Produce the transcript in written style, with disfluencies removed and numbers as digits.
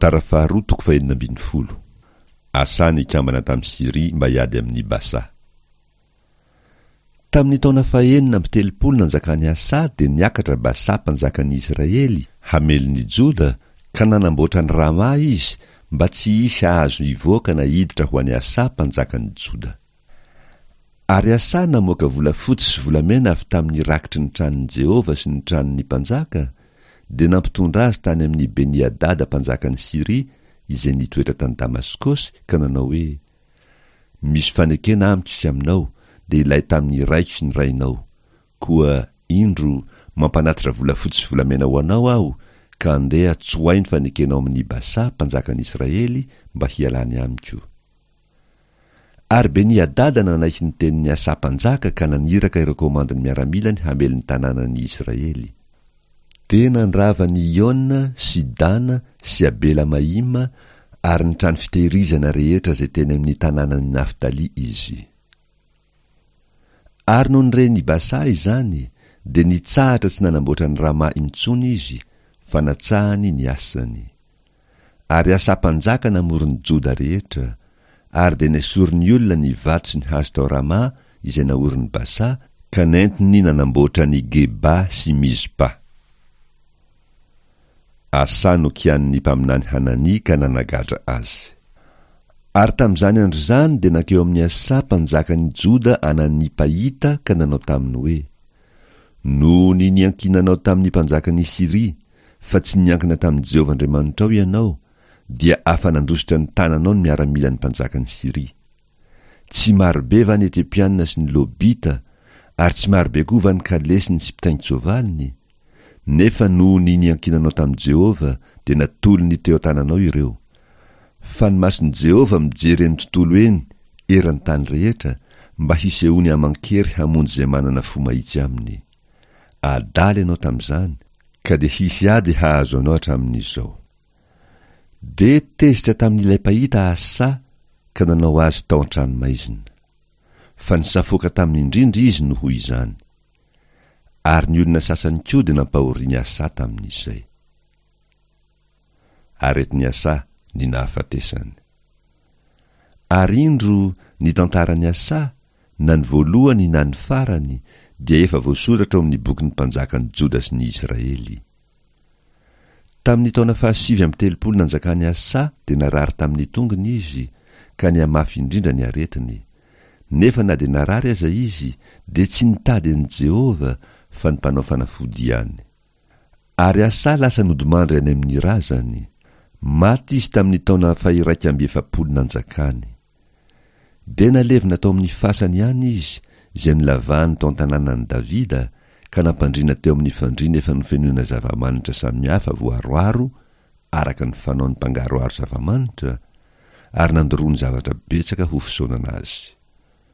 Tantara faharoa toko fahenina ambin'ny folo. Asa nikambana tamin'i Syria mba hiady amin'i Basa. Tamin'ny taona fahenina amby telopolo nanjakan'i Asa dia niakatra Basa mpanjakan'ny Israely hamely ny Joda ka nanamboatra an'i Rama izy mba tsy hisy hahazo hivoaka na hiditra ho an'i Asa mpanjakan'ny Joda. Ary Asa namoaka volafotsy sy volamena avy tamin'ny rakitry ny tranon'i Jehovah sy ny tranon'ny mpanjaka, dia nampitondra azy tany amin'i Beni-hadada mpanjakan'i Syria, izay nitoetra tany Damaskosy, ka nanao hoe, Misy fanekena amiko sy aminao, dia ilay tamin'ny raiko sy ny rainao. Koa, indro, mampanatitra volafotsy sy volamena ho anao aho, ka andeha tsoahy ny fanekenao amin'i Basa, mpanjakan'i Israely, mba hialany amiko. Ary Beni-Hadada nanaiky ny tenin'i Asa mpanjaka ka naniraka ireo komandin'ny miaramilany hamely ny tanànan'i Israely. Dia nandrava an'i Iona sy Dana sy Abela-Maima ary ny trano fitehirizana rehetra izay teny amin'ny tanànan'i Naftaly izy. Ary nony ren'i Basa izany, dia nitsahatra tsy nanamboatra an'i Rama intsony izy, fa natsahany ny asany. Ary Asa mpanjaka namory ny Joda rehetra, ary dia nesorin'ny olona ny vato sy ny hazo tao Rama izay naorin'i Basa, ka nentiny nanamboatra an'i Geba sy Mizpa. Asa nokianin'ny mpaminany Hanania ka nanagadra azy. Ary tamin'izany andro izany dia nankeo amin'i Asa mpanjakan'i Joda Anania mpahita ka nanao taminy hoe, Noho ny niankinanao tamin'ny mpanjakan'i Syria, fa tsy niankina tamin'i Jehovah Andriamanitrao ianao, dia afa-nandositra ny tananao ny miaramilan'ny mpanjakan'i Syria. Tsy marobe va ny Etiopiana sy ny Lobita, ary tsy marobe koa va ny kalesiny sy mpitaingin-tsoavaliny? Nefa noho ny niankinanao tamin'i Jehovah, dia natolony teo an-tananao ireo. Fa ny mason'i Jehovah mijery eny tontolo eny eran'ny tany rehetra, mba hisehoany aman-kery hamonjy izay manana fo mahitsy aminy. Adala ianao tamin'izany, ka dia hisy ady hahazo anao hatramin'izao. Dia tezitra tamin'ilay mpahita Asa ka nanao azy tao an-tranomaizina. Fa nisafoaka taminy indrindra izy noho izany. Ary ny olona sasany koa dia nampahorian'i Asa tamin'izay. Aretin'i Asa ny nahafatesany. Ary indro ny tantaran'i Asa, na ny voalohany na ny farany, dia efa voasoratra ao amin'ny bokin'ny mpanjakan'i Joda sy ny Israely. Tamin'ny taona fahasivy amby telopolo nanjakan'i Asa dia narary tamin'ny tongony izy, ka nihamafy indrindra ny aretiny. Nefa na dia narary aza izy, dia tsy nitady an'i Jehovah, fa ny mpanao fanafody ihany. Ary Asa lasa nodimandry any amin'ny razany. Maty izy tamin'ny taona fahiraika amby efapolo nanjakany. Dia nalevina tao amin'ny fasany ihany izy, izay nolavahany tao an-tanànan'i Davida, ka nampandriana teo amin'ny fandriana efa nofenoina zava-manitra samihafa voaroaro araka ny fanaon'ny mpangaroharo zava-manitra, ary nandoroany zavatra betsaka ho fisaonana azy.